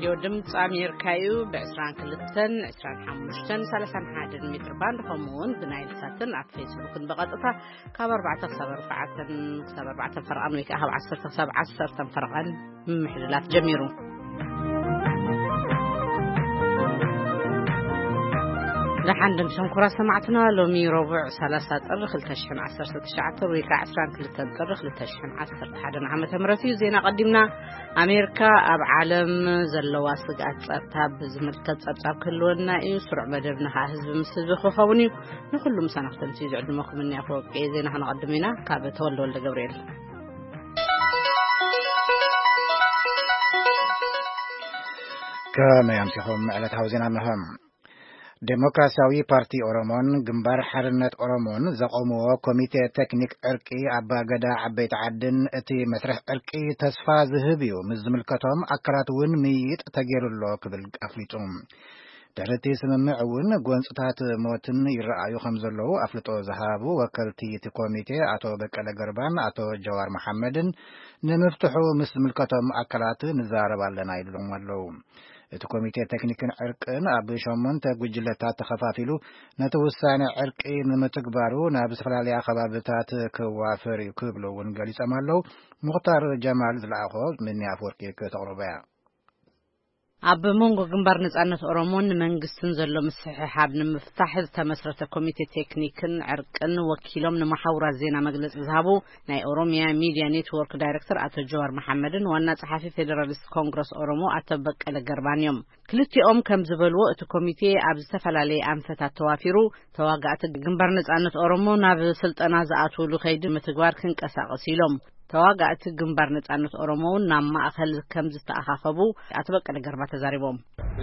ሬድዮ ድምፂ ኣሜሪካ እዩ። ብ22፣ 25፣ 31 ሜትር ባንድ፣ ከምኡ እውን ብናይል ሳትን ኣብ ፌስቡክን ብቐጥታ ካብ ኣርባዕተ ክሳብ ኣርባዕተን፣ ክሳብ ኣርባዕተን ፈረቓን ወይ ከዓ ካብ ዓሰርተ ክሳብ ዓሰርተን ፈረቓን ምምሕልላፍ ጀሚሩ። ደሓን ድምፅኹም ክቡራት ሰማዕትና፣ ሎሚ ረቡዕ ሰላሳ ጥሪ ክልተ ሽሕን ዓሰርተ ትሽዓተን ወይ ከዓ ዕስራን ክልተን ጥሪ ክልተ ሽሕን ዓሰርተ ሓደን ዓመተ ምህረት እዩ። ዜና ቀዲምና። ኣሜሪካ ኣብ ዓለም ዘለዋ ስግኣት ጸጥታ ብዝምልከት ጸብጻብ ክህልወና እዩ። ስሩዕ መደብና ከዓ ህዝቢ ምስ ህዝቢ ክኸውን እዩ። ንኹሉ ምሳና ክተምስዩ ዝዕድመኩም እኒ ኣፈወርቂ። ዜና ክነቐድም ኢና። ካብ ተወልደ ወልደ ገብርኤል። ከመይ ኣምሲኹም? ዕለታዊ ዜና እንሆ። ዴሞክራሲያዊ ፓርቲ ኦሮሞን ግንባር ሓርነት ኦሮሞን ዘቆምዎ ኮሚቴ ቴክኒክ ዕርቂ ኣባገዳ ዓበይቲ ዓድን እቲ መስርሕ ዕርቂ ተስፋ ዝህብ እዩ፣ ምስ ዝምልከቶም ኣካላት እውን ምይይጥ ተገይሩ ኣሎ ክብል ኣፍሊጡ። ድሕሪ እቲ ስምምዕ እውን ጎንፅታት ሞትን ይረኣዩ ከም ዘለዉ ኣፍልጦ ዝሃቡ ወከልቲ እቲ ኮሚቴ ኣቶ በቀለ ገርባን ኣቶ ጀዋር መሓመድን ንምፍትሑ ምስ ዝምልከቶም ኣካላት ንዛረብ ኣለና ኢሎም ኣለዉ። እቲ ኮሚቴ ቴክኒክን ዕርቅን ኣብ ሸሞንተ ጉጅለታት ተኸፋፊሉ ነቲ ውሳነ ዕርቂ ንምትግባሩ ናብ ዝተፈላለያ ከባብታት ክዋፈር እዩ ክብሉ እውን ገሊጾም ኣለዉ። ሙኽታር ጀማል ዝለኣኾ ምኒ ኣፍወርቂ ክተቕርቦ እያ። ኣብ መንጎ ግንባር ነጻነት ኦሮሞን መንግስትን ዘሎ ምስሕሓብ ንምፍታሕ ዝተመስረተ ኮሚቴ ቴክኒክን ዕርቅን ወኪሎም ንመሓውራት ዜና መግለጺ ዝሃቡ ናይ ኦሮሚያ ሚድያ ኔትወርክ ዳይሬክተር ኣቶ ጀዋር መሓመድን ዋና ጸሓፊ ፌዴራሊስት ኮንግረስ ኦሮሞ ኣቶ በቀለ ገርባን እዮም። ክልቲኦም ከም ዝበልዎ፣ እቲ ኮሚቴ ኣብ ዝተፈላለየ ኣንፈታት ተዋፊሩ፣ ተዋጋእቲ ግንባር ነጻነት ኦሮሞ ናብ ስልጠና ዝኣትውሉ ከይዲ ምትግባር ክንቀሳቐስ ኢሎም። ተዋጋእቲ ግንባር ነጻነት ኦሮሞ እውን ናብ ማእኸል ከም ዝተኣኻኸቡ ኣቶ በቀለ ገርባ ተዛሪቦም።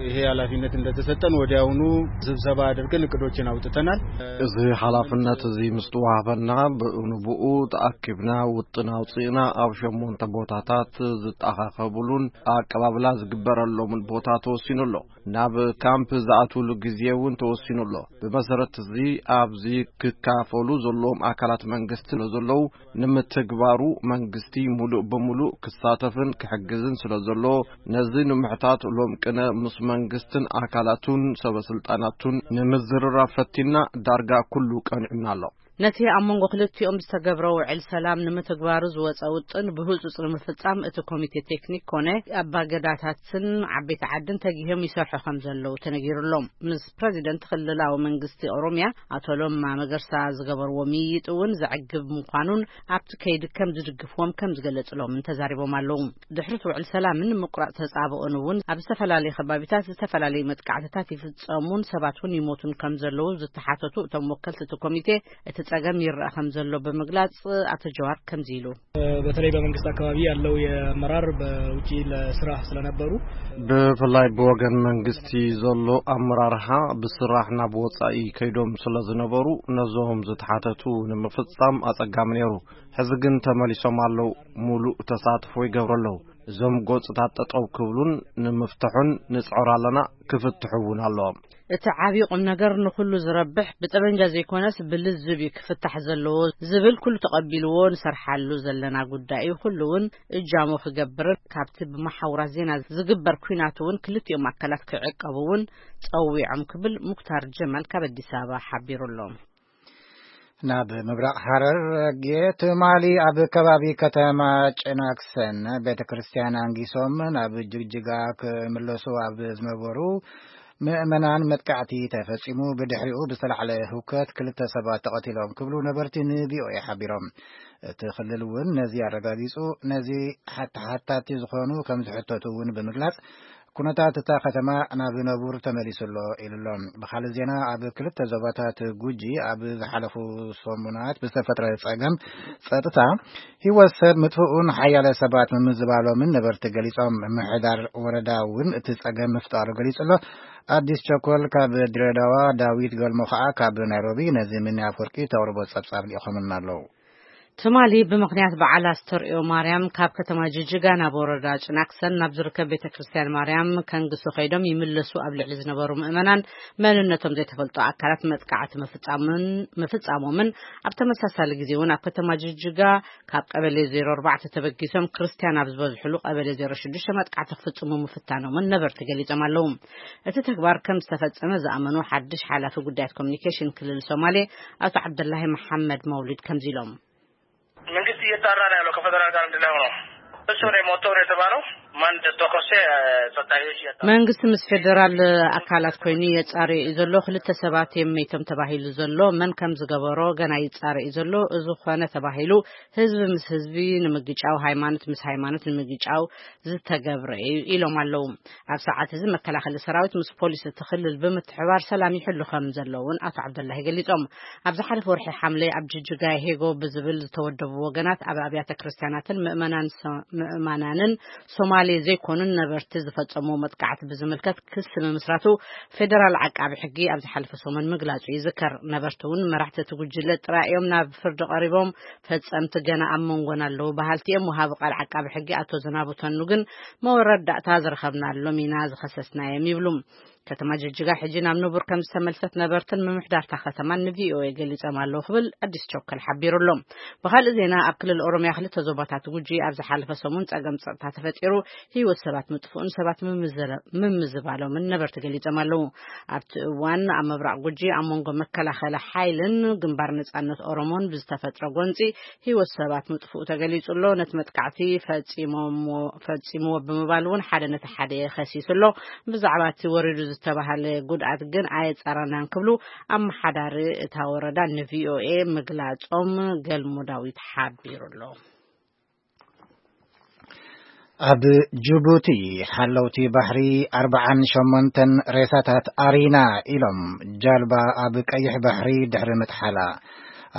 ይሄ ኃላፊነት እንደተሰጠን ወዲያውኑ ስብሰባ አድርገን እቅዶችን አውጥተናል። እዚ ሓላፍነት እዚ ምስ ተዋህበና፣ ብኡ ንብኡ ተኣኪብና ውጥን ኣውፂእና፣ ኣብ ሸሞንተ ቦታታት ዝተኣኻኸቡሉን ኣቀባብላ ዝግበረሎምን ቦታ ተወሲኑ ኣሎ። ናብ ካምፕ ዝኣትውሉ ግዜ እውን ተወሲኑ ኣሎ። ብመሰረት እዚ፣ ኣብዚ ክካፈሉ ዘለዎም ኣካላት መንግስቲ ስለ ዘለዉ፣ ንምትግባሩ መንግስቲ ሙሉእ ብሙሉእ ክሳተፍን ክሕግዝን ስለ ዘለዎ፣ ነዚ ንምሕታት ሎም ቅነ ምስ መንግስትን ኣካላቱን ሰበ ስልጣናቱን ንምዝርራብ ፈቲና፣ ዳርጋ ኩሉ ቀኒዑና ኣሎ። ነቲ ኣብ መንጎ ክልቲኦም ዝተገብረ ውዕል ሰላም ንምትግባሩ ዝወፀ ውጥን ብህፁፅ ንምፍፃም እቲ ኮሚቴ ቴክኒክ ኮነ ኣባገዳታትን ዓበይቲ ዓድን ተጊሆም ይሰርሑ ከም ዘለዉ ተነጊሩ ኣሎ። ምስ ፕረዚደንት ክልላዊ መንግስቲ ኦሮሚያ ኣቶ ለማ መገርሳ ዝገበርዎ ምይይጥ እውን ዘዕግብ ምዃኑን ኣብቲ ከይዲ ከም ዝድግፍዎም ከም ዝገለጽሎምን ተዛሪቦም ኣለዉ። ድሕሪ እቲ ውዕል ሰላምን ምቁራጽ ተጻብኦን እውን ኣብ ዝተፈላለዩ ከባቢታት ዝተፈላለዩ መጥቃዕትታት ይፍጸሙን ሰባት እውን ይሞቱን ከም ዘለዉ ዝተሓተቱ እቶም ወከልቲ እቲ ኮሚቴ፣ እቲ ጸገም ይረኣ ከም ዘሎ ብምግላጽ ኣቶ ጀዋር ከምዚ ኢሉ። በተለይ በመንግስት አካባቢ ያለው የአመራር በውጪ ለስራ ስለነበሩ ብፍላይ ብወገን መንግስቲ ዘሎ ኣመራርሓ ብስራሕ ናብ ወጻኢ ከይዶም ስለ ዝነበሩ ነዞም ዝተሓተቱ ንምፍጻም ኣጸጋሚ ነይሩ። ሕዚ ግን ተመሊሶም ኣለዉ። ሙሉእ ተሳትፎ ይገብሩ ኣለዉ። እዞም ጎጽታት ጠጠው ክብሉን ንምፍትሑን ንጽዕር ኣለና፣ ክፍትሑ እውን ኣለዎም። እቲ ዓብዪ ቁም ነገር ንኹሉ ዝረብሕ ብጠበንጃ ዘይኮነስ ብልዝብ እዩ ክፍታሕ ዘለዎ ዝብል ኩሉ ተቐቢልዎ ንሰርሓሉ ዘለና ጉዳይ እዩ። ኩሉ እውን እጃሙ ክገብርን ካብቲ ብመሓውራት ዜና ዝግበር ኲናት እውን ክልቲኦም ኣካላት ክዕቀቡ እውን ጸዊዖም ክብል ሙክታር ጀማል ካብ ኣዲስ ኣበባ ሓቢሩ ኣሎ። ናብ ምብራቕ ሃረርጌ ትማሊ ኣብ ከባቢ ከተማ ጭናክሰን ቤተ ክርስቲያን ኣንጊሶም ናብ ጅግጅጋ ክምለሱ ኣብ ዝነበሩ ምእመናን መጥቃዕቲ ተፈጺሙ። ብድሕሪኡ ብዝተላዕለ ህውከት ክልተ ሰባት ተቐቲሎም ክብሉ ነበርቲ ን ቪ ኦ ኤ ሓቢሮም። እቲ ክልል እውን ነዚ ኣረጋጊጹ፣ ነዚ ሓተሓታቲ ዝኾኑ ከም ዝሕተቱ እውን ብምግላጽ፣ ኩነታት እታ ከተማ ናብ ነቡር ተመሊሱ ኣሎ ኢሉ ኣሎ። ብኻልእ ዜና፣ ኣብ ክልተ ዞባታት ጉጂ ኣብ ዝሓለፉ ሰሙናት ብዝተፈጥረ ጸገም ጸጥታ ህይወት ሰብ ምጥፍኡን ሓያለ ሰባት ምምዝባሎምን ነበርቲ ገሊጾም። ምምሕዳር ወረዳ እውን እቲ ጸገም ምፍጣሩ ገሊጹ ኣሎ። ኣዲስ ቸኮል ካብ ድሬዳዋ፣ ዳዊት ገልሞ ኸኣ ካብ ናይሮቢ ነዚ ምኒ ኣፍወርቂ ተቕርቦ ጸብጻብ ልኢኾምልና ኣለዉ። ትማሊ ብምኽንያት በዓል ኣስተርእዮ ማርያም፣ ካብ ከተማ ጅጅጋ ናብ ወረዳ ጭናክሰን ናብ ዝርከብ ቤተ ክርስቲያን ማርያም ከንግሱ ከይዶም ይምለሱ ኣብ ልዕሊ ዝነበሩ ምእመናን መንነቶም ዘይተፈልጡ ኣካላት መጥቃዕቲ ምፍጻምን-፣ ምፍጻሞምን፣ ኣብ ተመሳሳሊ ግዜ እውን ኣብ ከተማ ጅጅጋ ካብ ቀበሌ ዜሮ ኣርባዕተ ተበጊሶም ክርስቲያን ኣብ ዝበዝሕሉ ቀበሌ ዜሮ ሽዱሽተ መጥቃዕቲ ክፍጽሙ ምፍታኖምን ነበርቲ ገሊጾም ኣለዉ። እቲ ተግባር ከም ዝተፈጸመ ዝኣመኑ ሓድሽ ሓላፊ ጉዳያት ኮሚኒኬሽን ክልል ሶማሌ ኣቶ ዓብደላሂ መሓመድ መውሊድ ከምዚ ኢሎም። መንግስት እየጣራ ነው ያለው ከፌደራል ጋር አንድ ላይ ሆኖ። እሱ ነው የሞተው ነው የተባለው። ማን እንደተኮሰ ጸጥታ ኃይሎች እያጣሩ። መንግስቲ ምስ ፌደራል ኣካላት ኮይኑ የጻሪ እዩ ዘሎ። ክልተ ሰባት እዮም መይቶም ተባሂሉ ዘሎ። መን ከም ዝገበሮ ገና ይጻረ እዩ ዘሎ። እዚ ኾነ ተባሂሉ ህዝቢ ምስ ህዝቢ ንምግጫው፣ ሃይማኖት ምስ ሃይማኖት ንምግጫው ዝተገብረ እዩ ኢሎም ኣለዉ። ኣብ ሰዓት እዚ መከላኸሊ ሰራዊት ምስ ፖሊስ እቲ ክልል ብምትሕባር ሰላም ይሕሉ ከም ዘለውን ኣቶ ዓብደላሂ ገሊጾም። ኣብ ዝሓለፈ ወርሒ ሓምለ ኣብ ጅጅጋ ሄጎ ብዝብል ዝተወደቡ ወገናት ኣብ ኣብያተ ክርስቲያናትን ምእመናን ሶ-፣ ምእመናንን ሶማሌ ዘይኮኑን ነበርቲ ዝፈጸሙ መጥቃዕቲ ብዝምልከት ክሲ ምምስራቱ ፌደራል ዓቃቢ ሕጊ ኣብ ዝሓለፈ ሰሙን ምግላጹ ይዝከር። ነበርቲ እውን መራሕቲ እቲ ጉጅለ ጥራይ እዮም ናብ ፍርዲ ቀሪቦም፣ ፈጸምቲ ገና ኣብ መንጎና ኣለዉ በሃልቲ እዮም። ወሃቢ ቃል ዓቃቢ ሕጊ ኣቶ ዝናቡ ተኑ ግን መወረዳእታ ዝረኸብናሎም ኢና ዝኸሰስናዮም ይብሉ። ከተማ ጅጅጋ ሕጂ ናብ ንቡር ከም ዝተመልሰት ነበርትን ምምሕዳርታ ከተማን ንቪኦኤ ገሊጾም ኣለዉ ክብል ኣዲስ ቸኮል ሓቢሩ ኣሎ። ብኻልእ ዜና፣ ኣብ ክልል ኦሮምያ ክልተ ዞባታት ጉጂ ኣብ ዝሓለፈ ሰሙን ጸገም ጸጥታ ተፈጢሩ ህይወት ሰባት ምጥፍኡን ሰባት ምምዝረ-፣ ምምዝባሎምን ነበርቲ ገሊጾም ኣለዉ። ኣብቲ እዋን ኣብ ምብራቕ ጉጂ ኣብ መንጎ መከላኸሊ ሓይልን ግንባር ነጻነት ኦሮሞን ብዝተፈጥረ ጎንጺ ህይወት ሰባት ምጥፍኡ ተገሊጹ ኣሎ። ነቲ መጥቃዕቲ ፈጺሞምዎ-፣ ፈጺምዎ ብምባል እውን ሓደ ነቲ ሓደ ከሲሱ ኣሎ። ብዛዕባ እቲ ወሪዱ ዝተባሃለ ጉድኣት ግን ኣየጻረናን ክብሉ ኣመሓዳሪ እታ ወረዳ ንቪኦኤ ምግላጾም ገልሞ ዳዊት ሓቢሩ ኣሎ። ኣብ ጅቡቲ ሓለውቲ ባሕሪ ኣርብዓን ሸሞንተን ሬሳታት ኣሪና ኢሎም ጃልባ ኣብ ቀይሕ ባሕሪ ድሕሪ ምጥሓላ።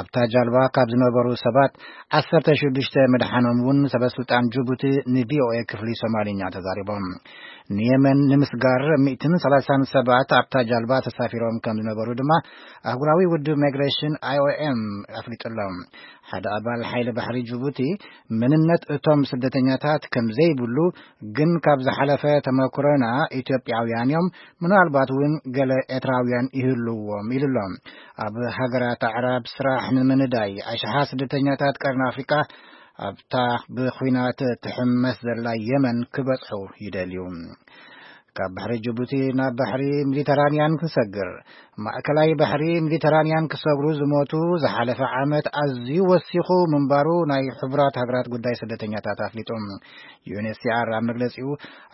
ኣብታ ጃልባ ካብ ዝነበሩ ሰባት ዓሰርተ ሽዱሽተ ምድሓኖም እውን ሰበስልጣን ጅቡቲ ንቪኦኤ ክፍሊ ሶማሊኛ ተዛሪቦም። ንየመን ንምስጋር ሚእትን ሰላሳን ሰባት ኣብታ ጃልባ ተሳፊሮም ከም ዝነበሩ ድማ ኣህጉራዊ ውድብ ማይግሬሽን፣ ኣይኦኤም፣ ኣፍሊጡ ኣሎ። ሓደ ኣባል ሓይሊ ባሕሪ ጅቡቲ፣ መንነት እቶም ስደተኛታት ከም ዘይብሉ፣ ግን ካብ ዝሓለፈ ተመክሮና ኢትዮጵያውያን እዮም፣ ምናልባት እውን ገለ ኤርትራውያን ይህልዎም ኢሉ ኣሎ። ኣብ ሃገራት ኣዕራብ ስራሕ ንምንዳይ ኣሽሓት ስደተኛታት ቀርኒ ኣፍሪቃ ኣብታ ብኹናት ትሕመስ ዘላ የመን ክበጽሑ ይደልዩ። ካብ ባሕሪ ጅቡቲ ናብ ባሕሪ ሜዲተራንያን ክሰግር፣ ማእከላይ ባሕሪ ሜዲተራንያን ክሰግሩ ዝሞቱ ዝሓለፈ ዓመት ኣዝዩ ወሲኹ ምንባሩ ናይ ሕቡራት ሃገራት ጉዳይ ስደተኛታት ኣፍሊጡ። ዩ ኤን ኤች ሲ ኣር ኣብ መግለጺኡ፣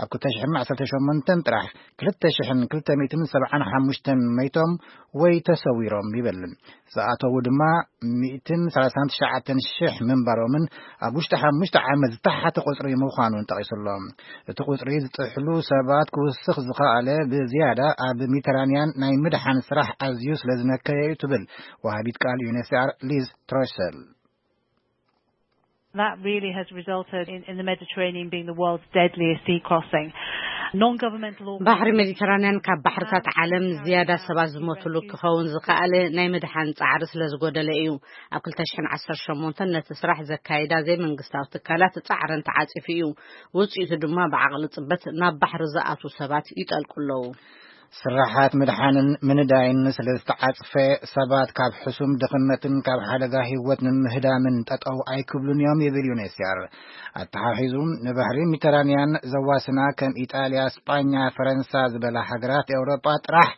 ኣብ ክልተ ሽሕን ዓሰርተ ሸሞንተን ጥራሕ ክልተ ሽሕን ክልተ ሚእትን ሰብዓን ሓሙሽተን መይቶም ወይ ተሰዊሮም ይብል። ዝኣተዉ ድማ ሚእትን ሰላሳን ትሽዓተን ሽሕ ምንባሮምን ኣብ ውሽጢ ሓሙሽተ ዓመት ዝተሓተ ቁጽሪ ምዃኑን ጠቒሱ ኣሎ። እቲ ቁጽሪ ዝጥሕሉ ሰባት ክውስኽ ዝኸኣለ ብዝያዳ ኣብ ሜዲተራንያን ናይ ምድሓን ስራሕ ኣዝዩ ስለ ዝነከየ እዩ ትብል ወሃቢት ቃል ዩ ኤን ኤች ሲ ኣር ሊዝ ትሮሰል። That really has resulted in, in the Mediterranean being the world's deadliest sea crossing. Non-governmental ባሕሪ organizations ሜዲተራንያን ካብ ባሕርታት ዓለም ዝያዳ ሰባት ዝሞትሉ ክኸውን ዝኸኣለ ናይ ምድሓን ጻዕሪ ስለ ዝጎደለ እዩ። ኣብ ክልተ ሽሕን ዓሰርተ ሸሞንተን ነቲ ስራሕ ዘካይዳ ዘይመንግስታዊ ትካላት ጻዕረን ተዓጺፉ እዩ። ውጽኢቱ ድማ ብዓቕሊ ጽበት ናብ ባሕሪ ዝኣትዉ ሰባት ይጠልቁ ኣለዉ። ስራሓት ምድሓንን ምንዳይን ስለ ዝተዓጽፈ፣ ሰባት ካብ ሕሱም ድኽነትን ካብ ሓደጋ ህይወት ንምህዳምን ጠጠው ኣይክብሉን እዮም ይብል ዩ ኤን ኤች ሲ ኣር። ኣተሓሒዙ፣ ንባሕሪ ሜዲተራንያን ዘዋስና ከም ኢጣልያ፣ ስጳኛ፣ ፈረንሳ ዝበላ ሃገራት ኤውሮጳ ጥራሕ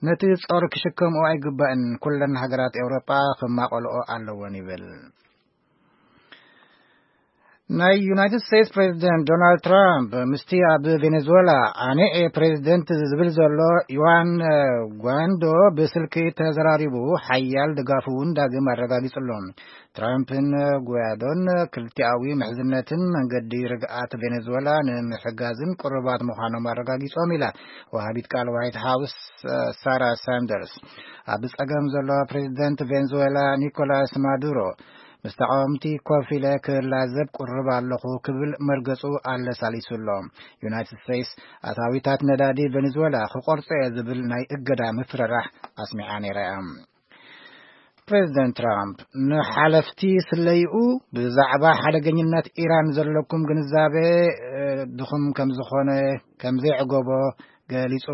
ነቲ ጾር ክሽከምኦ ኣይግባእን፣ ኩለን ሃገራት ኤውሮጳ ክማቐልኦ ኣለወን ይብል። ናይ ዩናይትድ ስቴትስ ፕሬዚደንት ዶናልድ ትራምፕ ምስቲ ኣብ ቬኔዙዌላ ኣነ እየ ፕሬዚደንት ዝብል ዘሎ ዩዋን ጓንዶ ብስልኪ ተዘራሪቡ፣ ሓያል ድጋፉ እውን ዳግም ኣረጋጊጹ ኣሎ። ትራምፕን ጓዶን ክልቲኣዊ ምሕዝነትን መንገዲ ርግኣት ቬኔዙዌላ ንምሕጋዝን ቅሩባት ምዃኖም ኣረጋጊጾም ኢላ ወሃቢት ቃል ዋይት ሃውስ ሳራ ሳንደርስ። ኣብ ጸገም ዘሎ ፕሬዚደንት ቬንዙዌላ ኒኮላስ ማዱሮ፣ ምስ ተቃወምቲ ኮፍ ኢለ ክላዘብ ቅሩብ ኣለኹ ክብል መርገጹ ኣለሳሊሱ ኣሎ። ዩናይትድ ስቴትስ ኣታዊታት ነዳዲ ቬንዙዌላ ክቆርጾ እየ ዝብል ናይ እገዳ ምፍርራሕ ኣስሚዓ ነይራ እያ። ፕሬዚደንት ትራምፕ ንሓለፍቲ ስለይኡ ብዛዕባ ሓደገኝነት ኢራን ዘለኩም ግንዛቤ፣ እ፣ ድኹም ከም ዝኾነ፣ ከም ዘይዕገቦ ገሊጹ።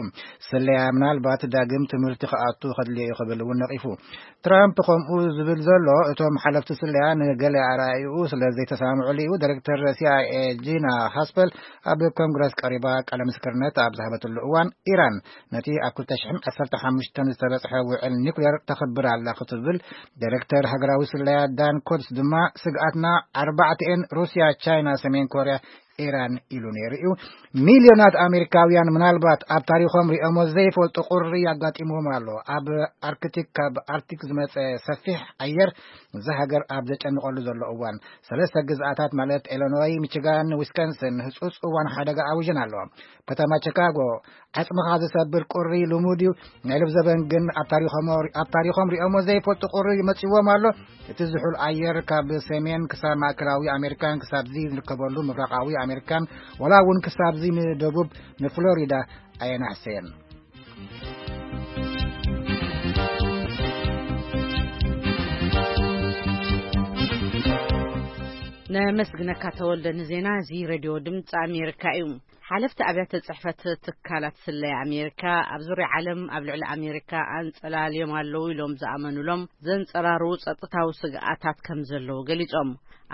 ስለያ ምናልባት ዳግም ትምህርቲ ክኣቱ ከድልዮ እዩ ክብል እውን ነቒፉ። ትራምፕ ከምኡ ዝብል ዘሎ፣ እቶም ሓለፍቲ ስለያ ንገለ ኣረኣእይኡ ስለ ዘይተሰማምዑሉ እዩ። ዳይሬክተር ሲ ኣይ ኤ ጂና ሃስፐል ኣብ ኮንግረስ ቀሪባ ቃለ ምስክርነት ኣብ ዝሃበትሉ እዋን፣ ኢራን ነቲ ኣብ ክልተ ሽሕን ዓሰርተ ሓሙሽተን ዝተበጽሐ ውዕል ኒኩሌር ተኽብር ኣላ ክትብል፣ ዳይሬክተር ሃገራዊ ስለያ ዳን ኮትስ ድማ፣ ስግኣትና ኣርባዕተኤን፣ ሩስያ፣ ቻይና፣ ሰሜን ኮርያ፣ ኢራን ኢሉ ነይሩ እዩ። ሚልዮናት ኣሜሪካውያን ምናልባት ኣብ ታሪኾም ሪኦሞ ዘይፈልጡ ቁሪ ኣጋጢምዎም ኣሎ። ኣብ ኣርክቲክ፣ ካብ ኣርክቲክ ዝመጸ ሰፊሕ ኣየር፣ እዚ ሃገር ኣብ ዘጨንቐሉ ዘሎ እዋን፣ ሰለስተ ግዝኣታት ማለት ኢሎኖይ፣ ሚችጋን፣ ዊስኮንሰን ህጹጽ እዋን ሓደጋ ኣውጅን ኣለዋ። ከተማ ቺካጎ፣ ዓጽምኻ ዝሰብር ቁሪ ልሙድ እዩ። ናይ ልብ ዘበን ግን ኣብ ታሪኾም፣ ኣብ ታሪኾም ሪኦሞ ዘይፈልጡ ቁሪ ይመጽዎም ኣሎ። እቲ ዝሑል ኣየር ካብ ሰሜን ክሳብ ማእከላዊ ኣሜሪካን ክሳብዚ ዝርከበሉ ምብራቓዊ ኣሜሪካን፣ ወላ እውን ክሳብዚ ንደቡብ ንፍሎሪዳ ኣየናሕሰየን። ነመስግነካ ተወልደ ንዜና እዚ ሬድዮ ድምፂ ኣሜሪካ እዩ። ሓለፍቲ ኣብያተ ጽሕፈት ትካላት ስለያ ኣሜሪካ ኣብ ዙርያ ዓለም ኣብ ልዕሊ ኣሜሪካ ኣንጸላልዮም ኣለዉ ኢሎም ዝኣመኑሎም ዘንጸራርዉ ጸጥታዊ ስግኣታት ከም ዘለዉ ገሊጾም።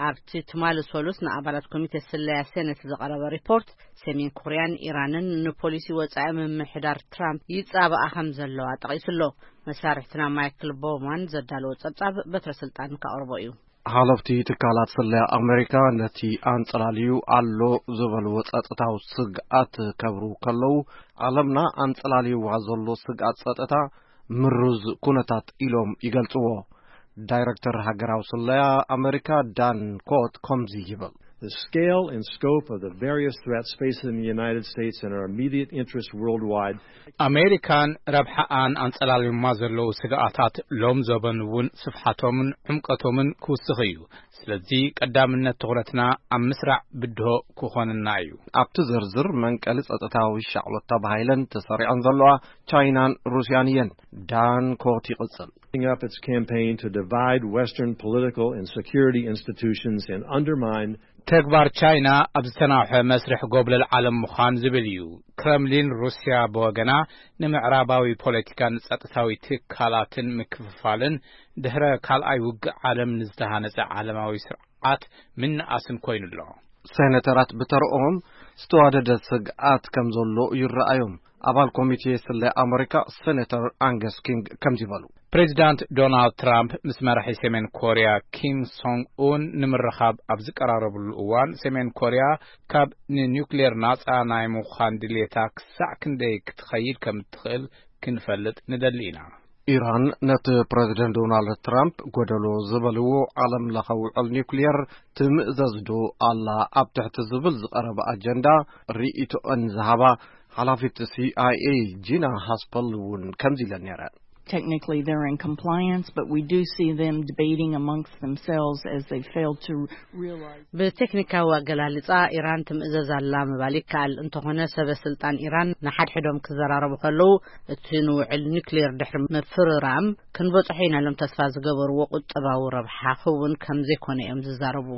ኣብቲ ትማሊ ሰሉስ ንኣባላት ኮሚቴ ስለያ ሴኔት ዝቐረበ ሪፖርት፣ ሰሜን ኮርያን ኢራንን ንፖሊሲ ወጻኢ ምምሕዳር ትራምፕ ይጻባኣ ከም ዘለዋ ጠቒሱ ኣሎ። መሳርሕትና ማይክል ቦውማን ዘዳለዎ ጸብጻብ በትረ ስልጣን ከቕርቦ እዩ። ሓለፍቲ ትካላት ስለያ ኣሜሪካ ነቲ ኣንጸላልዩ ኣሎ ዝበልዎ ጸጥታዊ ስግኣት ከብሩ ከለዉ፣ ዓለምና ኣንጸላልይዋ ዘሎ ስግኣት ጸጥታ ምሩዝ ኩነታት ኢሎም ይገልጽዎ። ዳይረክተር ሃገራዊ ስለያ ኣሜሪካ ዳን ኮት ከምዚ ይብል። The scale and scope of the various threats facing the United States and our immediate interests worldwide. ኣሜሪካን ረብሓኣን ኣንጸላልዮማ ዘለዉ ስግኣታት ሎም ዘበን እውን ስፍሓቶምን ዕምቀቶምን ክውስኽ እዩ። ስለዚ ቀዳምነት ትኹረትና ኣብ ምስራዕ ብድሆ ክኾንና እዩ። ኣብቲ ዝርዝር መንቀሊ ጸጥታዊ ሻቕሎት ተባሂለን ተሰሪዐን ዘለዋ ቻይናን ሩስያን እየን። ዳን ኮት ይቕጽል። Up its campaign to divide Western political and security institutions and undermine ተግባር ቻይና ኣብ ዝተናውሐ መስርሕ ጎብለል ዓለም ምዃን ዝብል እዩ። ክረምሊን ሩስያ ብወገና ንምዕራባዊ ፖለቲካን ጸጥታዊ ትካላትን ምክፍፋልን ድሕረ ካልኣይ ውግእ ዓለም ንዝተሃነጸ ዓለማዊ ስርዓት ምንኣስን ኮይኑ ኣሎ። ሴኔተራት ብተረኦም ዝተዋደደ ስግኣት ከም ዘሎ ይረኣዮም። ኣባል ኮሚቴ ስለ ኣመሪካ ሴኔተር ኣንገስ ኪንግ ከምዚ በሉ። ፕሬዚዳንት ዶናልድ ትራምፕ ምስ መራሒ ሰሜን ኮርያ ኪም ሶንግ ኡን ንምርኻብ ኣብ ዝቀራረብሉ እዋን፣ ሰሜን ኮርያ ካብ ንኒውክሌር ናጻ ናይ ምዃን ድሌታ ክሳዕ ክንደይ ክትኸይድ ከም እትኽእል ክንፈልጥ ንደሊ ኢና። ኢራን ነቲ ፕሬዚደንት ዶናልድ ትራምፕ ጎደሎ ዝበልዎ ዓለም ለኸ ውዕል ኒውክሌር ትምእዘዝ ዶ ኣላ ኣብ ትሕቲ ዝብል ዝቐረበ ኣጀንዳ ርኢቶአን ዝሃባ ሓላፊት ሲ ኣይ ኤ ጂና ሃስፐል እውን ከምዚ ኢለን ነይረን። Technically, they're in compliance, but we do see them debating amongst themselves as they fail to realize ብቴክኒካዊ ኣገላልጻ ኢራን ትምእዘዝ ኣላ ምባል ይከኣል። እንተኾነ ሰበ ስልጣን ኢራን ንሓድሕዶም ክዘራረቡ ከለዉ፣ እቲ ንውዕል ኒውክሌር ድሕሪ ምፍርራም ክንበጽሖ ኢና ኢሎም ተስፋ ዝገበርዎ ቁጠባዊ ረብሓ ክውን ከም ዘይኮነ እዮም ዝዛረቡ።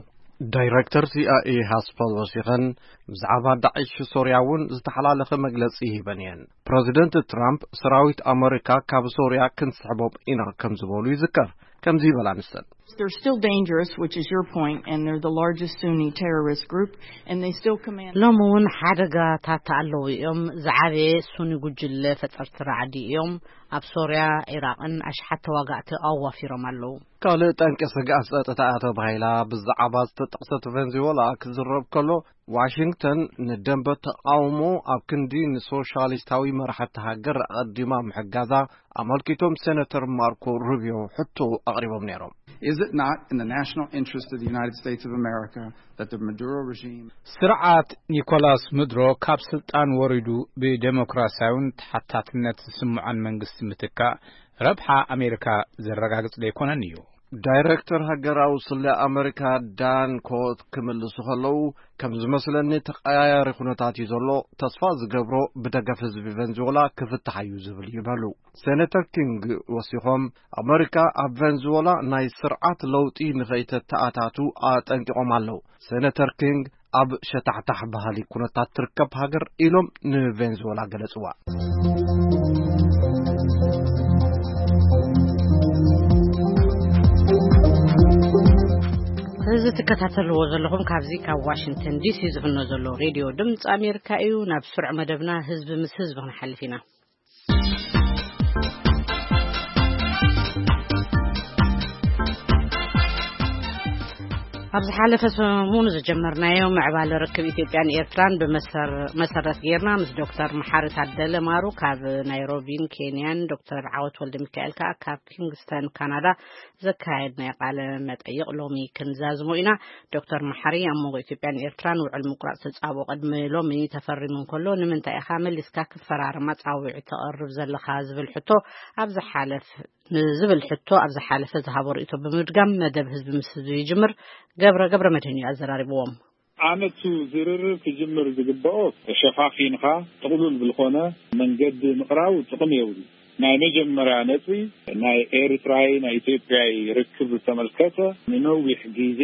ዳይረክተር ሲ ኣይ ኤ ሃስፐል ወሲኸን፣ ብዛዕባ ዳዕሽ ሶርያ እውን ዝተሓላለኸ መግለጺ ሂበን እየን። ፕረዚደንት ትራምፕ፣ ሰራዊት ኣመሪካ ካብ ሶርያ ክንስሕቦም ኢና ከም ዝበሉ ይዝከር። ከምዚ ይበላ ንሰን። They're still dangerous, which is your point, and they're the largest Sunni terrorist group, and they still command ሎም እውን ሓደጋታት ኣለዉ እዮም። ዝዓበየ ሱኒ ጉጅለ ፈጸርቲ ራዕዲ እዮም። ኣብ ሶርያ፣ ዒራቕን ኣሽሓት ተዋጋእቲ ኣዋፊሮም ኣለዉ። ካልእ ጠንቂ ስግኣት ጸጥታ እያ ተባሂላ ብዛዕባ ዝተጠቕሰት ቬንዙዌላ ክዝረብ ከሎ፣ ዋሽንግተን ንደንበ ተቓውሞ ኣብ ክንዲ ንሶሻሊስታዊ መራሕቲ ሃገር ኣቐዲማ ምሕጋዛ ኣመልኪቶም ሴነተር ማርኮ ሩቢዮ ሕቶ ኣቕሪቦም ነይሮም። Is it not in the national interest of the United States of America that the Maduro regime ስርዓት ኒኮላስ ምድሮ ካብ ስልጣን ወሪዱ ብዴሞክራሲያውን ተሓታትነት ዝስምዖን መንግስቲ ምትካእ ረብሓ ኣሜሪካ ዘረጋግጽ ዘይኮነን እዩ? ዳይረክተር ሃገራዊ ስለ ኣመሪካ ዳን ኮት ክምልሱ ከለዉ፣ ከም ዝመስለኒ ተቐያያሪ ኩነታት እዩ ዘሎ። ተስፋ ዝገብሮ ብደገፍ ህዝቢ ቨንዙዌላ ክፍታሕ እዩ ዝብል እዩ በሉ። ሴኔተር ኪንግ ወሲኾም፣ ኣመሪካ ኣብ ቨንዙዌላ ናይ ስርዓት ለውጢ ንኸይተተኣታቱ ኣጠንቂቖም ኣለዉ። ሴኔተር ኪንግ ኣብ ሸታሕታሕ ባህሊ ኩነታት ትርከብ ሃገር ኢሎም ንቬንዙዌላ ገለጽዋ። እዚ ትከታተልዎ ዘለኹም ካብዚ ካብ ዋሽንግተን ዲሲ ዝፍኖ ዘሎ ሬድዮ ድምፂ ኣሜሪካ እዩ። ናብ ስሩዕ መደብና ህዝቢ ምስ ህዝቢ ክንሓልፍ ኢና። ኣብ ዝሓለፈ ሰሙን ዝጀመርናዮ ምዕባለ ርክብ ኢትዮጵያን ኤርትራን ብመሰር-፣ መሰረት ጌርና ምስ ዶክተር መሓሪ ታደለ ማሩ ካብ ናይሮቢን ኬንያን ዶክተር ዓወት ወልደ ሚካኤል ከኣ ካብ ኪንግስተን ካናዳ ዘካየድናዮ ቃለ መጠይቕ ሎሚ ክንዛዝሞ ኢና። ዶክተር መሓሪ ኣብ መንጎ ኢትዮጵያን ኤርትራን ውዕል ምቁራጽ ተጻብኦ ቅድሚ ሎሚ ተፈሪሙ እንከሎ ንምንታይ ኢኻ መሊስካ ክፈራረማ ጻውዒት ተቕርብ ዘለኻ ዝብል ሕቶ ኣብ ዝሓለፍ ንዝብል ሕቶ ኣብ ዝሓለፈ ዝሃቦ ርእይቶ ብምድጋም መደብ ህዝቢ ምስ ህዝቢ ይጅምር። ገብረ፣ ገብረ መድህን እዩ ኣዘራሪብዎም። ኣነቱ ዝርርብ ክጅምር ዝግበኦ ተሸፋፊንኻ ጥቕሉል ብልኾነ መንገዲ ምቕራቡ ጥቕሚ የብሉ። ናይ መጀመርያ ነጥቢ ናይ ኤርትራይ ናይ ኢትዮጵያይ ርክብ ዝተመልከተ ንነዊሕ ግዜ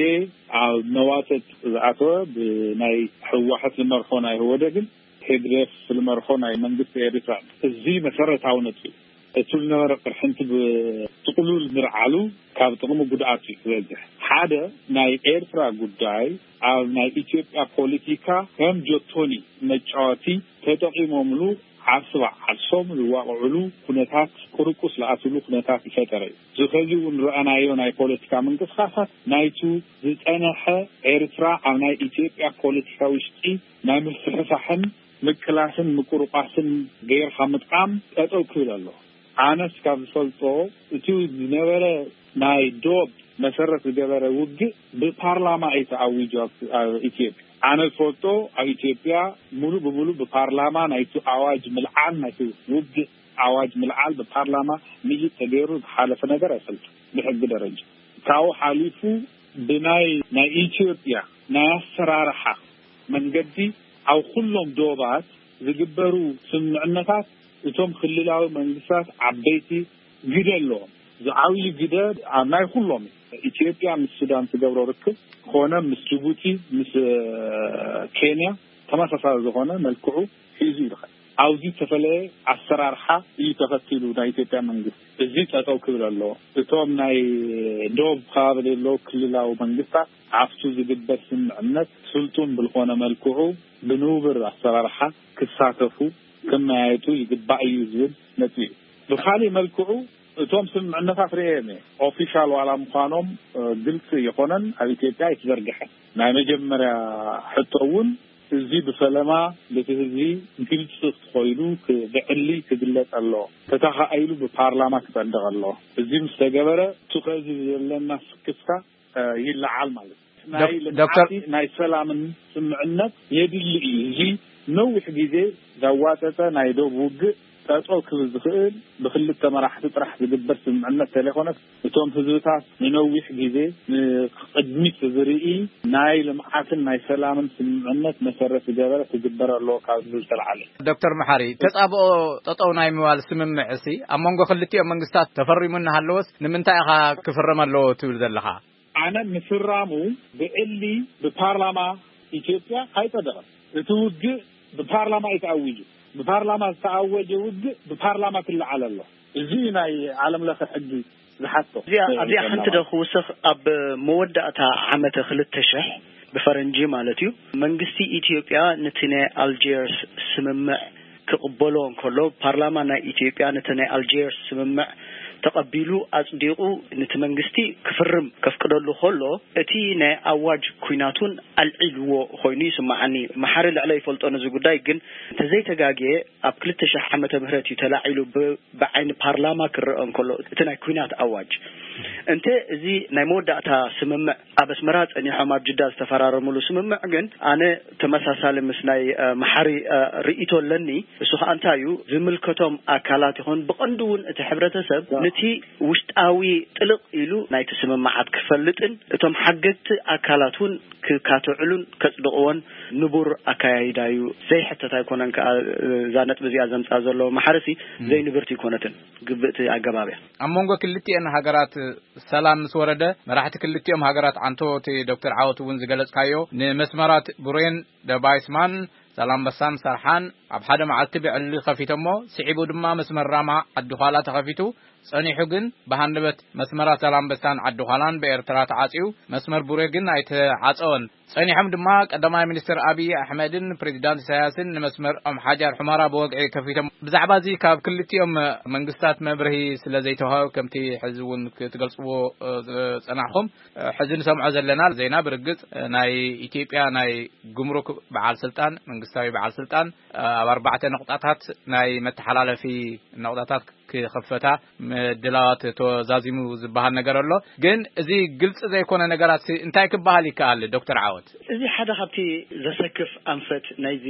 ኣብ መዋጥጥ ዝኣተወ ብናይ ህወሓት ዝመርሖ ናይ ህወደግን ሄግደፍ ዝመርሖ ናይ መንግስቲ ኤርትራ እዚ መሰረታዊ ነጥቢ እዩ። እቱ ዝነበረ ቅርሕንቲ ብጥቕሉል ምርዓሉ ካብ ጥቕሚ ጉድኣት እዩ ዝበዝሕ። ሓደ ናይ ኤርትራ ጉዳይ ኣብ ናይ ኢትዮጵያ ፖለቲካ ከም ጆቶኒ መጫወቲ ተጠቒሞምሉ ዓርሲ በዓርሶም ዝዋቕዕሉ ኩነታት ቅርቁስ ዝኣትሉ ኩነታት ይፈጠረ እዩ። እዚ ከዚ እውን ረኣናዮ ናይ ፖለቲካ ምንቅስቃሳት ናይቱ ዝጸነሐ ኤርትራ ኣብ ናይ ኢትዮጵያ ፖለቲካ ውሽጢ ናይ ምፍሕፋሕን ምቅላስን ምቁርቋስን ገይርካ ምጥቃም ጠጠው ክብል ኣሎ። ኣነስ ካብ ዝፈልጦ እቲ ዝነበረ ናይ ዶብ መሰረት ዝገበረ ውግእ ብፓርላማ እዩ ተኣዊጁ ኣብ፣ ኣብ ኢትዮጵያ። ኣነ ዝፈልጦ ኣብ ኢትዮጵያ ሙሉ ብሙሉ ብፓርላማ ናይቲ ኣዋጅ ምልዓል ናይቲ ውግእ ኣዋጅ ምልዓል ብፓርላማ ምይጥ ተገይሩ ዝሓለፈ ነገር ኣይፈልጥን ብሕጊ ደረጃ። ካብኡ ሓሊፉ ብናይ፣ ናይ ኢትዮጵያ ናይ ኣሰራርሓ መንገዲ ኣብ ኩሎም ዶባት ዝግበሩ ስምምዕነታት እቶም ክልላዊ መንግስታት ዓበይቲ ግደ ኣለዎም። ዝዓብዩ ግደ ኣብ ናይ ኩሎም እዩ። ኢትዮጵያ ምስ ሱዳን ትገብሮ ርክብ ኮነ ምስ ጅቡቲ፣ ምስ፣ እ፣ ኬንያ ተመሳሳሊ ዝኾነ መልክዑ ሒዙ ይርከብ። ኣብዚ ዝተፈለየ ኣሰራርሓ እዩ ተኸቲሉ ናይ ኢትዮጵያ መንግስቲ። እዚ ጠጠው ክብል ኣለዎ። እቶም ናይ ዶብ ከባቢ ዘለዉ ክልላዊ መንግስታት ኣብቱ ዝግበር ስምምዕነት ስልጡን ብልኾነ መልክዑ ብንቡር ኣሰራርሓ ክሳተፉ ክመያየጡ ይግባእ እዩ ዝብል ነጥቢ እዩ። ብኻሊእ መልክዑ እቶም ስምምዕነታት ርእየም እየ። ኦፊሻል ዋላ ምዃኖም፣ እ፣ ግልፂ ይኾነን ኣብ ኢትዮጵያ ኣይተዘርግሐን። ናይ መጀመርያ ሕቶ እውን እዚ ብፈለማ በቲ ህዝቢ ግልፂ ኮይኑ ክ-፣ ብዕሊ ክግለፅ ኣለዎ። ተተኻኢሉ ብፓርላማ ክፀድቕ ኣለዎ። እዚ ምስ ተገበረ እቲ ከዚ ዘለና ስክፍታ፣ እ፣ ይለዓል ማለት እዩ። ናይ ዶክ-፣ ዶክተር ልምዓት ናይ ሰላምን ስምምዕነት የድሊ እዩ። እዚ ነዊሕ ግዜ ዘዋጠጠ ናይ ዶብ ውግእ ጠጠው ክብል ዝኽእል ብክልተ መራሕቲ ጥራሕ ዝግበር ስምምዕነት ተለይኮነስ እቶም ህዝብታት ንነዊሕ ግዜ ንቅድሚት ዝርኢ ናይ ልምዓትን ናይ ሰላምን ስምምዕነት መሰረት ዝገበረ ክግበር ኣለዎ ካብ ዝብል ዝተልዓለ። ዶክተር መሓሪ፣ ተጻብኦ ጠጠው ናይ ምባል ስምምዕሲ ኣብ መንጎ ክልቲኦም መንግስታት ተፈሪሙ እናሃለወስ ንምንታይ ኢኻ ክፍረም ኣለዎ ትብል ዘለኻ? ኣነ ምፍራሙ ብዕሊ ብፓርላማ ኢትዮጵያ ኣይጸደቐን። እቲ ውግእ ብፓርላማ እዩ ተኣዊጁ። ብፓርላማ ዝተኣወጀ ውግእ ብፓርላማ ክለዓል ኣሎ። እዚ እዩ ናይ ዓለም ለኸ ሕጊ ዝሓቶ። እዚኣ፣ ኣብዚኣ ሓንቲ ዶ ክውስኽ፣ ኣብ መወዳእታ ዓመተ ክልተ ሽሕ ብፈረንጂ ማለት እዩ፣ መንግስቲ ኢትዮጵያ ነቲ ናይ ኣልጀርስ ስምምዕ ክቕበሎ እንከሎ፣ ፓርላማ ናይ ኢትዮጵያ ነቲ ናይ ኣልጀርስ ስምምዕ ተቐቢሉ ኣጽዲቑ ነቲ መንግስቲ ክፍርም ከፍቅደሉ ከሎ፣ እቲ ናይ ኣዋጅ ኲናት እውን ኣልዒልዎ ኮይኑ ይስምዓኒ። መሓሪ ልዕለ ይፈልጦ ነዚ ጉዳይ፣ ግን እንተዘይተጋግየ ኣብ ክልተ ሽሕ ዓመተ ምህረት እዩ ተላዒሉ ብ-፣ ብዓይኒ ፓርላማ ክረአ እንከሎ እቲ ናይ ኲናት ኣዋጅ። እንተ እዚ ናይ መወዳእታ ስምምዕ ኣብ ኣስመራ ጸኒሖም ኣብ ጅዳ ዝተፈራረምሉ ስምምዕ ግን ኣነ ተመሳሳሊ ምስ ናይ መሓሪ ርእይቶ ኣለኒ። እሱ ከኣ እንታይ እዩ፣ ዝምልከቶም ኣካላት ይኹን ብቐንዱ እውን እቲ ሕብረተሰብ ነቲ ውሽጣዊ ጥልቕ ኢሉ ናይቲ ስምምዓት ክፈልጥን እቶም ሓገግቲ ኣካላት እውን ክካትዕሉን ከጽድቕዎን ንቡር ኣካያይዳ እዩ። ዘይሕተት ኣይኮነን። ከኣ እዛ ነጥቢ እዚኣ ዘምጻ ዘሎ መሓርሲ ዘይንብርቲ ኣይኮነትን፣ ግብእቲ ኣገባብ እያ። ኣብ መንጎ ክልቲኤን ሃገራት ሰላም ምስ ወረደ፣ መራሕቲ ክልቲኦም ሃገራት ዓንቶ፣ እቲ ዶክተር ዓወት እውን ዝገለጽካዮ፣ ንመስመራት ቡሬን ደባይስማን ዛላምበሳን ሰርሓን ኣብ ሓደ መዓልቲ ብዕሊ ከፊቶሞ፣ ስዒቡ ድማ መስመር ራማ ዓዲ ዃላ ተኸፊቱ። ጸኒሑ ግን ብሃንደበት መስመራት ዛላምበሳን ዓዲ ዃላን ብኤርትራ ተዓጽዩ፣ መስመር ቡሬ ግን ኣይተዓጸወን። ጸኒሖም ድማ ቀዳማይ ሚኒስትር ኣብይ ኣሕመድን ፕሬዚዳንት ኢሳያስን ንመስመር ኦም ሓጃር ሑመራ ብወግዒ ከፊቶም። ብዛዕባ እዚ ካብ ክልቲኦም መንግስታት መብርሂ ስለ ዘይተዋህበ፣ ከምቲ ሕዚ እውን ክትገልጽዎ፣ እ፣ ዝጸናሕኹም፣ እ፣ ሕዚ ንሰምዖ ዘለና ዜና ብርግጽ፣ እ፣ ናይ ኢትዮጵያ ናይ ጉምሩክ በዓል ስልጣን፣ መንግስታዊ በዓል ስልጣን፣ እ፣ ኣብ ኣርባዕተ ነቑጣታት ናይ መተሓላለፊ ነቑጣታት ክኸፈታ ምድላዋት ተዛዚሙ ዝበሃል ነገር ኣሎ። ግን እዚ ግልጺ ዘይኮነ ነገራት ሲ እንታይ ክበሃል ይከኣል ዶክተር ዓወት? እዚ ሓደ ካብቲ ዘሰክፍ ኣንፈት ናይዚ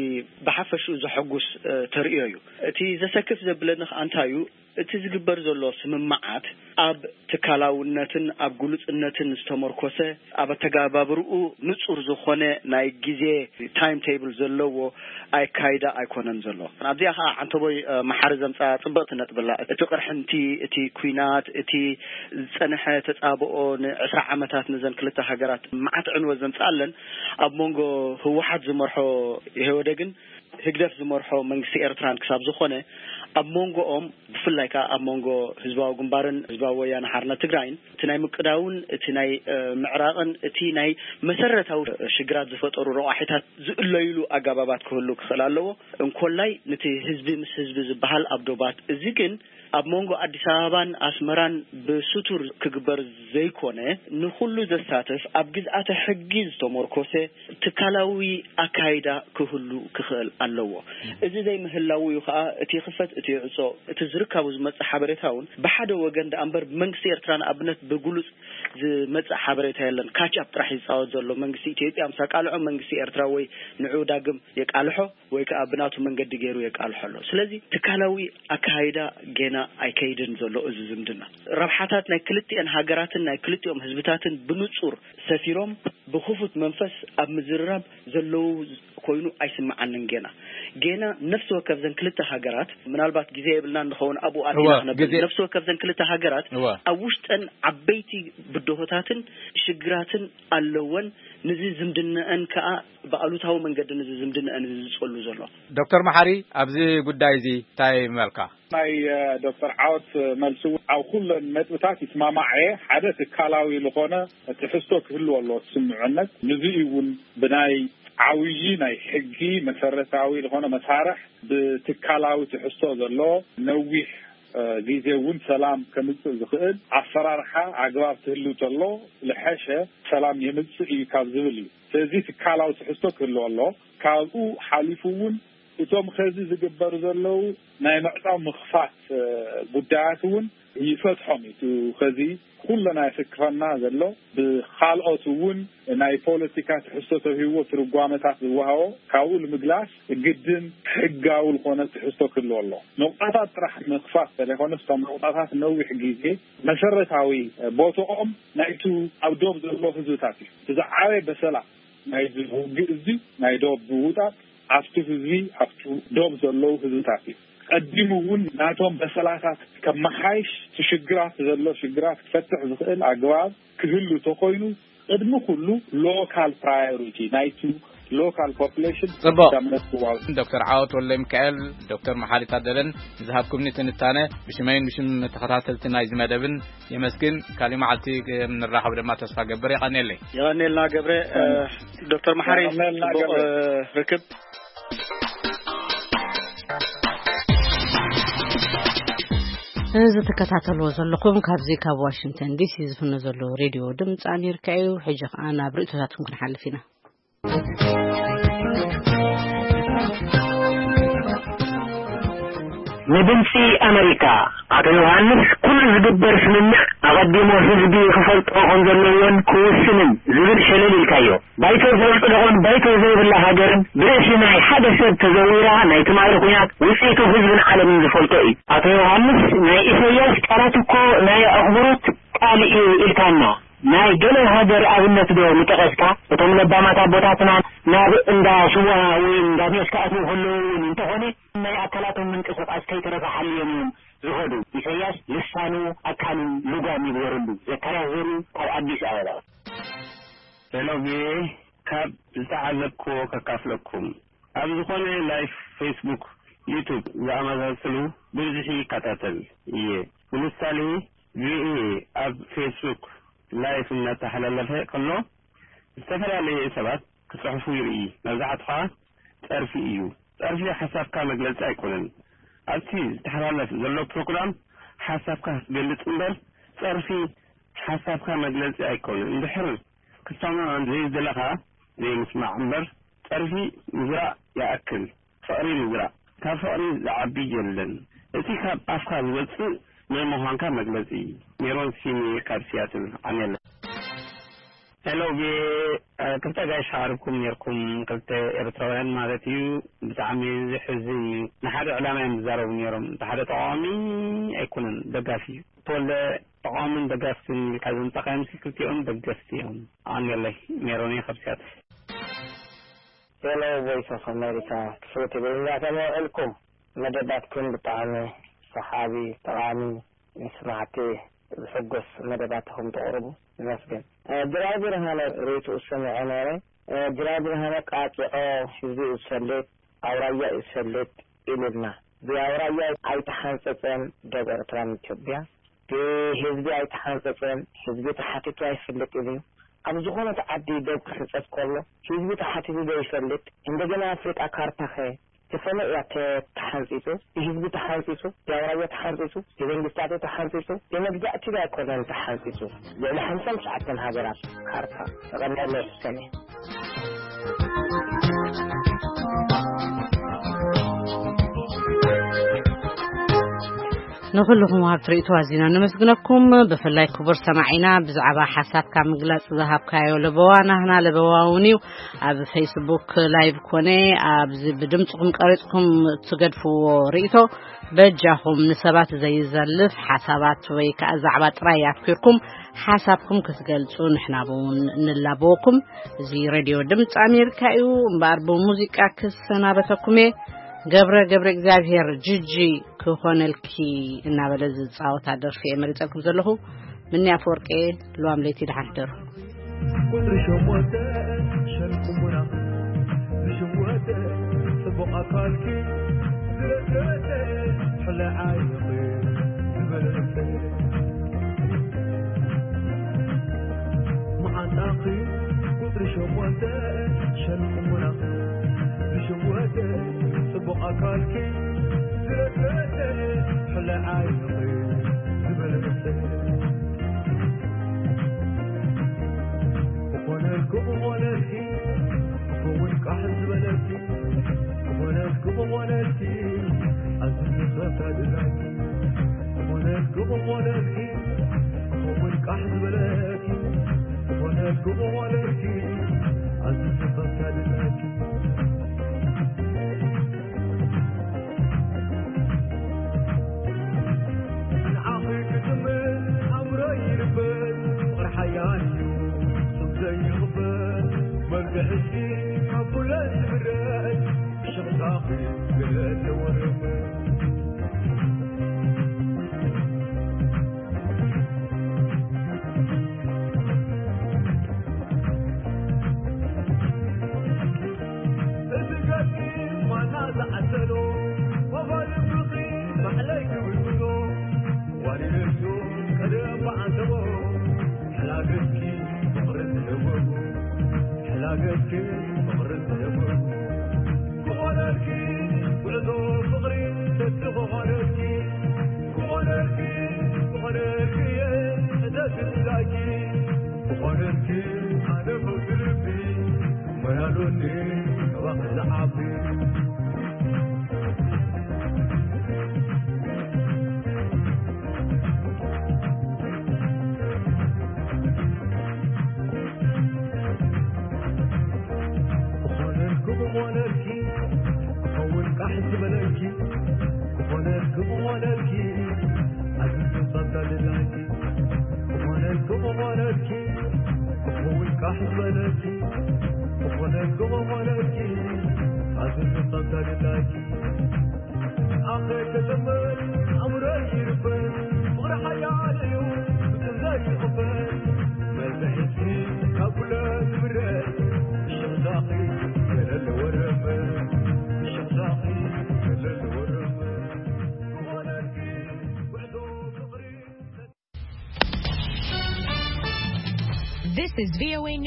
ብሓፈሽኡ ዘሐጉስ፣ እ፣ ተርእዮ እዩ። እቲ ዘሰክፍ ዘብለኒ ከኣ እንታይ እዩ? እቲ ዝግበር ዘሎ ስምምዓት ኣብ ትካላውነትን ኣብ ግሉጽነትን ዝተመርኮሰ፣ ኣብ ኣተገባብርኡ ንጹር ዝኾነ ናይ ግዜ ታይም ቴብል ዘለዎ ኣካይዳ ኣይኮነን ዘሎ። ኣብዚኣ ከኣ ዓንተቦይ፣ እ፣ መሓሪ ዘምጻ ጽብቕቲ ነጥቢ ኣላ። እቲ ቅርሕንቲ፣ እቲ ኲናት፣ እቲ ዝጸንሐ ተጻብኦ ንዕስራ ዓመታት ነዘን ክልተ ሃገራት መዓት ዕንወት ዘምጽኣለን፣ ኣብ መንጎ ህወሓት ዝመርሖ ኢህወደግን ህግደፍ ዝመርሖ መንግስቲ ኤርትራን ክሳብ ዝኾነ፣ ኣብ መንጎኦም፣ ብፍላይ ከኣ ኣብ መንጎ ህዝባዊ ግንባርን ህዝባዊ ወያነ ሓርነት ትግራይን፣ እቲ ናይ ምቅዳውን እቲ ናይ፣ እ፣ ምዕራቕን እቲ ናይ መሰረታዊ ሽግራት ዝፈጠሩ ረቋሒታት ዝእለዩሉ ኣገባባት ክህሉ ክኽእል ኣለዎ። እንኮላይ ነቲ ህዝቢ ምስ ህዝቢ ዝበሃል ኣብ ዶባት። እዚ ግን ኣብ መንጎ ኣዲስ ኣበባን ኣስመራን ብስቱር ክግበር ዘይኮነ፣ ንኹሉ ዘሳትፍ፣ ኣብ ግዝኣተ ሕጊ ዝተመርኮሰ ትካላዊ ኣካይዳ ክህሉ ክኽእል ኣለዎ። እዚ ዘይምህላው እዩ ከኣ እቲ ይኽፈት እቲ ይዕጾ፣ እቲ ዝርካቡ ዝመጽእ ሓበሬታ እውን ብሓደ ወገን ደኣ እምበር ብመንግስቲ ኤርትራ ንኣብነት ብግሉጽ ዝመጽእ ሓበሬታ የለን። ካች ኣፕ ጥራሕ ይጻወት ዘሎ መንግስቲ ኢትዮጵያ ምስ ኣቃልዖ መንግስቲ ኤርትራ ወይ ንዑ ዳግም የቃልሖ ወይ ከኣ ብናቱ መንገዲ ገይሩ የቃልሖ ኣሎ። ስለዚ ትካላዊ ኣካይዳ ጌና ኣይከይድን ዘሎ። እዚ ዝምድና ረብሓታት ናይ ክልቲኤን ሃገራትን ናይ ክልቲኦም ህዝብታትን ብንጹር ሰፊሮም ብክፉት መንፈስ ኣብ ምዝርራብ ዘለዉ ኮይኑ ኣይስምዓንን። ጌና ጌና ነፍሲ ወከፍ ዘን ክልተ ሃገራት፣ ምናልባት ግዜ የብልና እንኸውን ኣብኡ ኣቲና እወ፣ ክነብል፣ ግዜ ነፍሲ ወከፍ ዘን ክልተ ሃገራት እወ። ኣብ ውሽጠን ዓበይቲ ብድሆታትን ሽግራትን ኣለወን። ንዚ ዝምድነአን ከኣ ብኣሉታዊ መንገዲ ንዚ ዝምድነአን እዚ ዝጸሉ ዘሎ። ዶክተር መሓሪ፣ ኣብዚ ጉዳይ እዚ እንታይ መልካ? ናይ፣ እ፣ ዶክተር ዓወት መልሲ እውን ኣብ ኩለን ነጥብታት ይስማማዕ እየ። ሓደ ትካላዊ ዝኾነ ትሕዝቶ ክህልዎ ኣለዎ እቲ ስምምዕነት። ንዚ እውን ብናይ ዓብዪ ናይ ሕጊ መሰረታዊ ዝኾነ መሳርሕ ብትካላዊ ትሕዝቶ ዘለዎ ነዊሕ፣ እ፣ ግዜ እውን ሰላም ከምጽእ ዝኽእል ኣሰራርሓ ኣግባብ ክህሉ ተሎ ዝሐሸ ሰላም የምጽእ እዩ ካብ ዝብል እዩ። ስለዚ ትካላዊ ትሕዝቶ ክህልዎ ኣለዎ። ካብኡ ሓሊፉ እውን እቶም ኸዚ ዝግበሩ ዘለዉ ናይ ምዕጻው ምኽፋት፣ እ፣ ጉዳያት እውን ይፈትሖም እዩ። እቲ ኸዚ ኩለና የሰክፈና ዘሎ ብኻልኦት እውን ናይ ፖለቲካ ትሕዝቶ ተውሂብዎ ትርጓመታት ዝወሃቦ ካብኡ ንምግላስ ግድን ሕጋዊ ዝኾነ ትሕዝቶ ክህልዎ ኣሎ። ነቑጣታት ጥራሕ ምኽፋት ዘይኮነስ እቶም ነቑጣታት ነዊሕ ግዜ መሰረታዊ ቦትኦም ናይቲ ኣብ ዶብ ዘሎ ህዝብታት እዩ። እቲ ዝዓበየ በሰላ ናይዚ ውግእ እዚ ናይ ዶብ ምውጣጥ ኣብቲ ህዝቢ ኣብቲ ዶብ ዘለዉ ህዝብታት እዩ። ቀዲሙ እውን ናቶም በሰላታት ከመሓይሽ እቲ ሽግራት ዘሎ ሽግራት ክፈትሕ ዝኽእል ኣግባብ ክህሉ ተኾይኑ ቅድሚ ኩሉ ሎካል ፕራዮሪቲ ናይቲ ሎካል ፖፕሌሽን ጽቡቕ። ክዳመት ክዋል። ዶክተር ዓወት ወልደ ሚካኤል፣ ዶክተር መሓሪ ታደለን ዝሃብኩምኒ ትንታነ ብሽመይን ብሽም ተኸታተልቲ ናይዚ መደብን የመስግን። ካሊእ መዓልቲ ንራኸብ ድማ ተስፋ ገብር። የቐንየለይ። የቐንየልና ገብረ። እ፣ ዶክተር መሓሪ፣ የቐንየልና ጽቡቕ፣ ገብረ። እ፣ ርክብ። እዚ ትከታተልዎ ዘለኹም ካብዚ ካብ ዋሽንግተን ዲሲ ዝፍኖ ዘሎ ሬድዮ ድምፂ ኣሜሪካ እዩ። ሕጂ ኸኣ ናብ ርእይቶታትኩም ክንሓልፍ ኢና። ንድምፂ ኣሜሪካ ኣቶ ዮሃንስ፣ ኩሉ ዝግበር ስምምዕ ቀዲሙ ህዝቢ ክፈልጦ ከም ዘለዎን ክውስንን ዝብል ሸለል ኢልካዮ። ባይቶ ዘጽደቖን ባይቶ ዘይብላ ሃገርን ብርእሲ ናይ ሓደ ሰብ ተዘዊራ ናይ ትማሊ ኩናት ውጽኢቱ ህዝብን ዓለምን ዝፈልጦ እዩ። ኣቶ ዮሃንስ፣ ናይ ኢሳያስ ቃላት እኮ ናይ ኣኽብሮት ቃል እዩ ኢልካና። ናይ ገለ ሃገር ኣብነት ዶ ምጠቐስካ? እቶም ለባማት ኣቦታትና ናብ እንዳ ስዋ ወይ እንዳ ሜስ ክኣትዉ ከለዉ እውን እንተኾነ ናይ ኣካላቶም ምንቅስቓስ ከይተረፈ ሓልዮም እዮም ዝኸዱ። ኢሳያስ ልሳኑ ኣካሉ ልጓም ይግበረሉ። ዘካርያስ ዘርኡ ካብ ኣዲስ ኣበባ። ሄሎ ቪኦኤ፣ ካብ ዝተዓዘብክዎ ከካፍለኩም። ኣብ ዝኾነ ላይፍ ፌስቡክ፣ ዩቱብ ዝኣመሳስሉ ብብዝሒ ይከታተል እየ። ንምሳሌ ቪኦኤ ኣብ ፌስቡክ ላይፍ እናተሓላለፈ ከሎ ዝተፈላለየ ሰባት ክጽሕፉ ይርኢ። መብዛሕትኡ ኸኣ ጸርፊ እዩ። ጸርፊ ሓሳብካ መግለጺ ኣይኮነን። ኣብቲ ዝተሓላለፍ ዘሎ ፕሮግራም ሓሳብካ ክትገልጽ እምበር ጸርፊ ሓሳብካ መግለጺ ኣይኮነን። እንድሕር ክትሰምዖ ዘይደለኻ ዘይምስማዕ እምበር ጸርፊ ምዝራእ ይኣክል ፍቕሪ ምዝራእ። ካብ ፍቕሪ ዝዓቢ የለን። እቲ ካብ ኣፍካ ዝወጽእ ናይ ምዃንካ መግለጺ። ሜሮን ሲኒ ካብ ሲያትል። ኣሜለ። ሄሎ ቪኦኤ፣ ክልተ ጋይሽ ሓሪብኩም ነርኩም፣ ክልተ ኤርትራውያን ማለት እዩ። ብጣዕሚ ዝሕዝን እዩ። ንሓደ ዕላማ እዮም ዝዛረቡ ነይሮም። እቲ ሓደ ተቃዋሚ ኣይኮነን፣ ደጋፊ እዩ። ተወልደ ተቃዋምን ደጋፍትን ኢልካ ዘምጻእካዮም ሲ ክልቲኦም ደገፍቲ እዮም። ኣንገለይ ሜሮኒ ካብ ሲያትል። ሄሎ ቮይስ ኦፍ ኣሜሪካ፣ ክፍሊ ትግርኛ ከመይ ውዕልኩም? መደባትኩም ብጣዕሚ ሰሓቢ፣ ጠቓሚ፣ ንስማዕቲ ዝሕጎስ መደባት ኢኹም ተቕርቡ። ይመስገን። እ፣ ድራይ ብርሃነ ርእይትኡ ሰሚዐ ነይረ። እ፣ ድራይ ብርሃነ ቃጢዖ ህዝቢ እዩ ዝፈልጥ፣ ኣውራያ እዩ ዝፈልጥ ኢሉና። ብኣውራያ ኣይተሓንጸጸን ደብ ኤርትራን ኢትዮጵያ። ብህዝቢ ኣይተሓንጸጸን፣ ህዝቢ ተሓቲቱ ኣይፈልጥን እዩ። ኣብ ዝኾነት ዓዲ ደብ ክሕንጸጽ ከሎ ህዝቢ ተሓቲቱ ዶ ይፈልጥ? እንደገና ኣፍሪቃ ካርታኸ ብኸመይ እያ ተ-፣ ተሓንጺጹ? ብህዝቢ ተሓንጺጹ? ብኣውራጃ ተሓንጺጹ? ብመንግስታቱ ተሓንጺጹ? ብመግዛእቲ ዶ ኣይኮነን ተሓንጺጹ? ልዕሊ ሓምሳ ትሽዓተ ሃገራት ካርታ ተቐሚጠሎ እዩ ሰሜን። ንኹልኹም ወሃብቲ ርእይቶ ኣዚና ነመስግነኩም። ብፍላይ ክቡር ሰማዒና ብዛዕባ ሓሳብካ ምግላጽ ዝሃብካዮ ለበዋ ናህና ለበዋ እውን እዩ። ኣብ ፌስቡክ ላይቭ ኮነ ኣብዚ ብድምጽኹም ቀሪጽኩም እትገድፍዎ ርእይቶ በጃኹም ንሰባት ዘይዘልፍ ሓሳባት ወይ ከኣ ዛዕባ ጥራይ ኣትኲርኩም ሓሳብኩም ክትገልጹ ንሕና እውን ንላበወኩም። እዚ ሬድዮ ድምጺ ኣሜሪካ እዩ። እምበኣር ብሙዚቃ ክሰናበተኩም እየ። ገብረ ገብረ እግዚኣብሔር ጅጂ ክኾነልኪ እናበለ ዝጻወታ ደርፊ እየ መሪጸልኩም ዘለኹ። ምኒ ኣፈወርቂ፣ ልዋም ለይቲ ደሓን ሕደሩ። ቁጽሪ ሸሞንተ ሸንቁሙና ዝሽወተ ጽቡቕ ኣካልኪ ዝረሰተ ሕለ ዓይንኺ ዝበለጸ መዓንጣኺ ቁጽሪ ሸሞንተ ሸንቁሙና ዝሽወተ ጽቡቕ ኣካልኪ ዝረሰተ ሕለ ዓይንኺ ዝበለጸ ክኾነልኩ ክኾነልኪ ክኸውን ቃሕ ዝበለልኪ ክኾነልኩ ክኾነልኪ ኣዝዩ ዝፈታ ድላይኪ ክኾነልኩ ክኾነልኪ ክኸውን ቃሕ ዝበለልኪ ክኾነልኩ ክኾነልኪ ኣዝዩ ዝፈታ ድላይኪ ንዓኺ ክጥምት ኣምሮ ይልበት ፍቕሪ ሓያል እዩ ስም ዘይኽፈል መርግዕኪ ካብ ኩለን ዝብረት ብሽቕታኺ ገለ ተወርበት እዚ ገጽ ማና ዝዓሰሎ ወፋሪ ፍቕሪ ባዕለይ ክብልብሎ ዋሊለዮ ቀደም ብዓንተቦ ሕላገትኪ ፍቕርን ደወጉ ሕላገትኪ ፍቕርን ደወጉ ክኾነልኪ ጉዕዞ ፍቕሪ ሰቲ ክኾነልኪ ክኾነልኪ ክኾነልኪ እየ ሕደት ብላኪ ክኾነልኪ ኣነ ፈውሲ ልቢ ሞያሉኒ ካባኺ ዝዓቢ ዝበለኪ ክኾነልኪ ክኾነልኪ ኣዝዩ ጸጋ ድላይኪ ክኾነልኪ ክኾነልኪ ክኸውን ካሕ ዝበለኪ ክኾነልኪ ክኾነልኪ ኣዝዩ ጸጋ ድላይኪ ኣኸ ተዘመር ኣምረ ይርበን ፍቕሪ ሓያል እዩ ብጥንዘ ይቕበል መዘሒትኪ ካብ ኩለ ዝምረ ሽኽዛኺ ገለል ወረመ ሽኽዛኺ ገለል ወረመ ዝኾነልኪ ጉዕዞ ፍቕሪ This is V O A News.